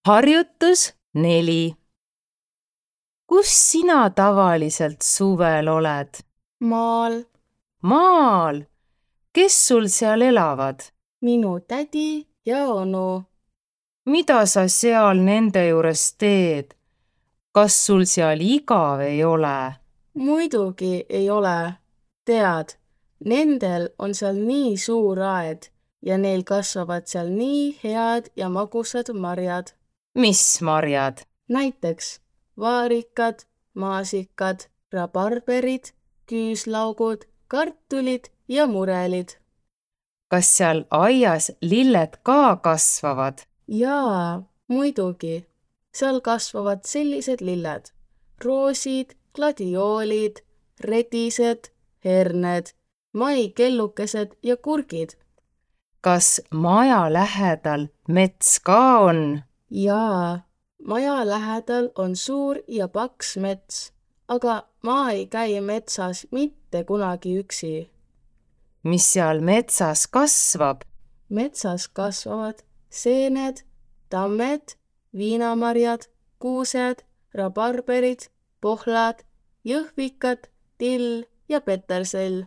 Harjutus 4. Kus sina tavaliselt suvel oled? Maal. Maal. Kes sul seal elavad? Minu tädi ja onu. Mida sa seal nende juures teed? Kas sul seal igav ei ole? Muidugi ei ole. Tead, nendel on seal nii suur aed ja neil kasvavad seal nii head ja magusad marjad. Mis marjad? Näiteks vaarikad, maasikad, rabarberid, küüslaugud, kartulid ja murelid. Kas seal aias lilled ka kasvavad? Jaa, muidugi. Seal kasvavad sellised lilled. Roosid, gladioolid, redised, herned, maikellukesed ja kurgid. Kas maja lähedal mets ka on? Jaa, maja lähedal on suur ja paks mets, aga ma ei käi metsas mitte kunagi üksi. Mis seal metsas kasvab? Metsas kasvavad seened, tammed, viinamarjad, kuused, rabarberid, pohlad, jõhvikad, till ja petersell.